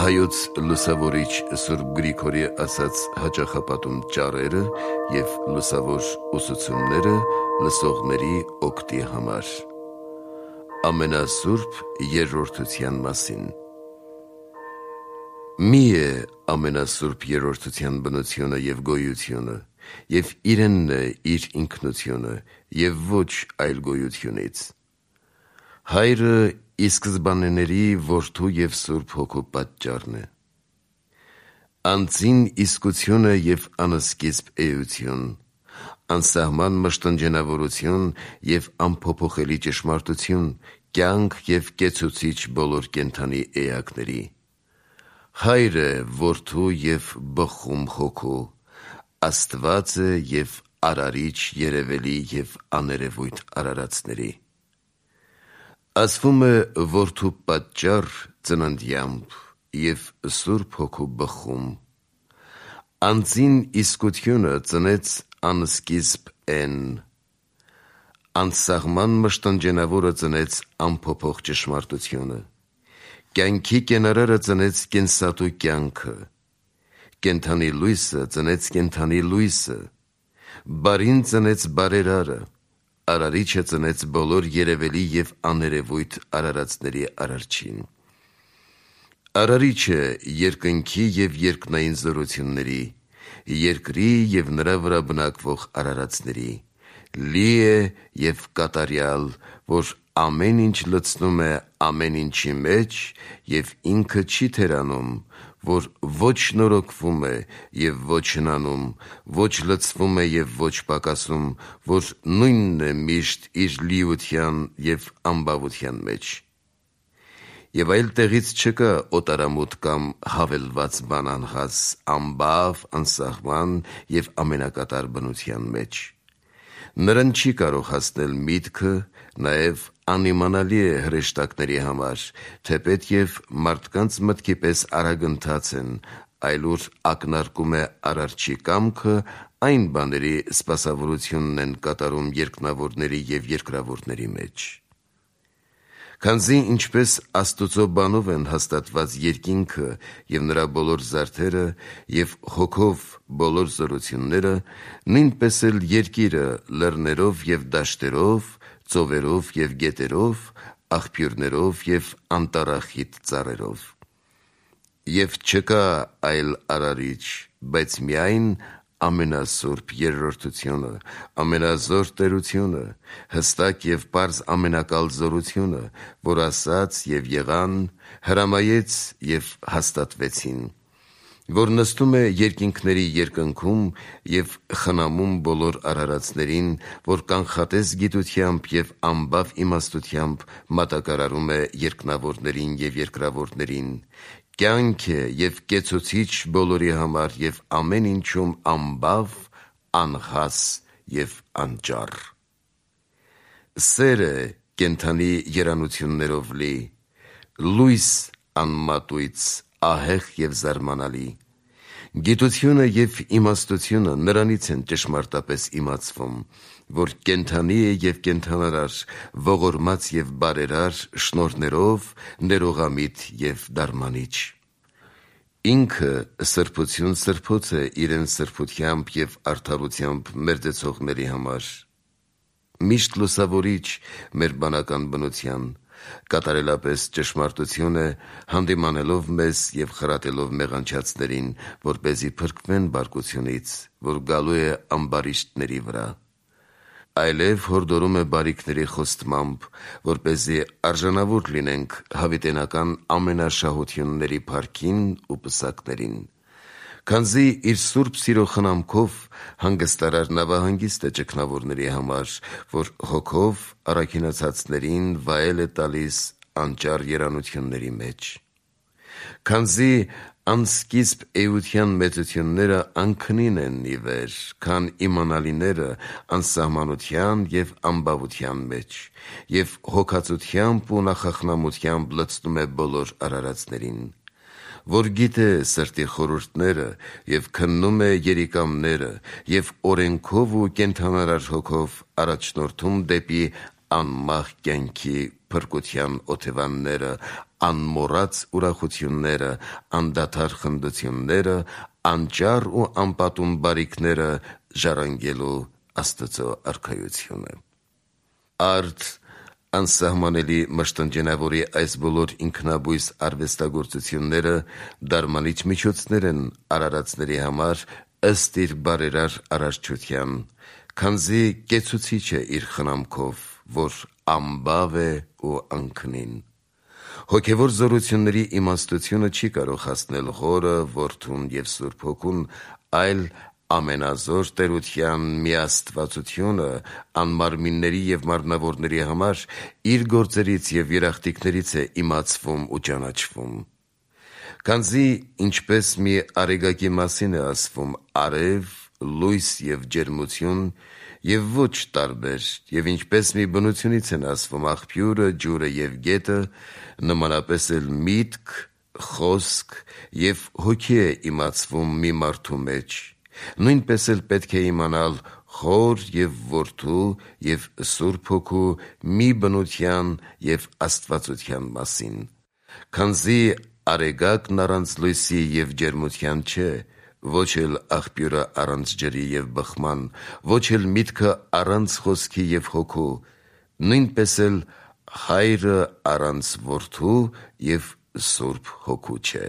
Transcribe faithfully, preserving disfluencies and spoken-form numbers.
Հայոց լուսավորիչ Սուրբ Գրիգորի ասած հաճախապատում ճառերը և լուսավոր ուսուցումները լսողների օգտի համար։ Ամենասուրբ երրորդության մասին։ Մի է ամենասուրբ երրորդության բնությունը և գոյությունը, և իրենն է իր ինքնությունը, և ոչ այլ գոյությունից։ Հայրը ի սկզբանեների Որդու և Սուրբ Հոգու պատճառն է։ Անձին իսկությունը և անսկիզբ էություն, անսահման մշտնջենավորություն և անփոփոխելի ճշմարտություն, կյանք և կեցուցիչ բոլոր կենդանի էակների։ Հայր է Որդու և բխում Հոգու, Աստված է և արարիչ երևելի և աներևույթ արարածների։ Ասվում է Որդու պատճառ ծննդյամբ և Սուրբ Հոգու բխում։ Անձին իսկությունը ծնեց անսկիզբ Էն, անսահման մշտնջենավորը ծնեց անփոփոխ ճշմարտությունը, կյանքի կենարարը ծնեց կենսատու կյանքը, կենդանի լույսը ծնեց կենդանի լույսը, բարին ծնեց բարերարը, արարիչը ծնեց բոլոր երևելի և աներևույթ արարածների արարչին։ Արարիչը երկնքի և երկնային զորությունների, երկրի և նրա վրա բնակվող արարածների, լի է և կատարյալ, որ ամեն ինչ լցնում է ամեն ինչի մեջ և ինքը չի թերանում, որ ոչ նորոգվում է և ոչ հնանում, ոչ լցվում է և ոչ պակասում, որ նույնն է միշտ իր լիության և անբավության մեջ։ Եվ այլ տեղից չկա օտարամոտ կամ հավելված բան անհաս, անբավ, անսահման և ամենակատար բնության մեջ։ Նրան չի կարող հասնել միտքը, նաև անիմանալի է հրեշտակների համար, թեպետև մարդկանց մտքի պես արագընթաց են, այլ ուր ակնարկում է Արարչի կամքը, այն բաների սպասավորությունն են կատարում երկնավորների և երկրավորների մեջ։ Քանզի ինչպես Աստուծո բանով են հաստատված երկինքը և նրա բոլոր զարդերը և Հոգով բոլոր զորությունները, նույնպես էլ երկիրը լեռներով և դաշտերով, ծովերով և գետերով, աղբյուրներով և անտառախիտ ծառերով։ Եվ չկա այլ արարիչ, բայց միայն ամենասուրբ Երրորդությունը, ամենազոր Տերությունը, հստակ և պարզ ամենակալ զորությունը, որ ասաց և եղան, հրամայեց և հաստատվեցին, որ նստում է երկինքների երկնքում և խնամում բոլոր արարածներին, որ կանխատես գիտությամբ և անբավ իմաստությամբ մատակարարում է երկնավորներին և երկրավորներին, կյանք է և կեցուցիչ բոլորի համար և ամեն ինչում անբավ, անհաս և անճառ։ Սեր է կենդանի երանություններով լի, լույս անմատույց, ահեղ և զարմանալի։ Գիտությունը և իմաստությունը նրանից են ճշմարտապես իմացվում, որ կենդանի է և կենդանարար, ողորմած և բարերար, շնորհներով, ներողամիտ և դարմանիչ։ Ինքը սրբություն սրբոց է իրեն սրբությամբ և արդարությամբ մերձեցողների համար, միշտ լուսավորիչ մեր բանական բնության, կատարելապես ճշմարտություն է, հանդիմանելով մեզ և խրատելով մեղանչածներին, որպեսզի փրկվեն բարկությունից, որ գալու է ամբարիշտների վրա, այլև հորդորում է բարիքների խոստմամբ, որպեսզի արժանավոր լինենք հավիտենական ամենաշահությունների փառքին ու պսակներին։ Քանզի իր սուրբ սիրո խնամքով հանգստարար նավահանգիստ է ճգնավորների համար, որ Հոգով առաքինացածներին վայել է տալիս անճառ երանությունների մեջ։ Քանզի անսկիզբ էության մեծությունները անքնին են ի վեր, քան իմանալիները անսահմանության և անբավության մեջ, և հոգածությամբ ու նախախնամությամբ լցնում է բոլոր արարածներին, որ գիտե սրտի խորհուրդները և քննում է երիկամները և օրենքով ու կենդանարար Հոգով առաջնորդում դեպի անմահ կյանքի փրկության օթևանները, անմոռաց ուրախությունները, անդադար խնդությունները, անճար ու անպատում բարիքները ժառանգելու Աստծո արքայությունը։ Արդ անսահմանելի մշտնջենավորի այս բոլոր ինքնաբույս արվեստագործությունները դարմանիչ միջոցներ են արարածների համար ըստ իր բարերար արարչության, քանզի կեցուցիչ է իր խնամքով, որ ամբավ է ու անքնին։ Հոգևոր զորությունների իմաստությունը չի կարող հասնել Հորը, Որդուն և Սուրբ Հոգուն, այլ ամենազոր տերության միաստվածությունը անմարմինների և մարմնավորների համար իր գործերից և երախտիկներից է իմացվում ու ճանաչվում։ Քանզի ինչպես մի արեգակի մասին է ասվում արև, լույս և ջերմություն, և ոչ տարբեր, և ինչպես մի բնությունից են ասվում աղբյուրը, ջուրը և գետը, նմանապես էլ միտք, խոսք և հոգի է իմացվում մի մարդու մեջ, նույնպես էլ պետք է իմանալ Հոր և Որդու և Սուրբ Հոգու մի բնության և աստվածության մասին, քանզի արեգակն առանց լույսի և ջերմության չէ, ոչ էլ աղբյուրը առանց ջրի և բխման, ոչ էլ միտքը առանց խոսքի և հոգու, նույնպես էլ Հայրը առանց Որդու և Սուրբ Հոգու չէ։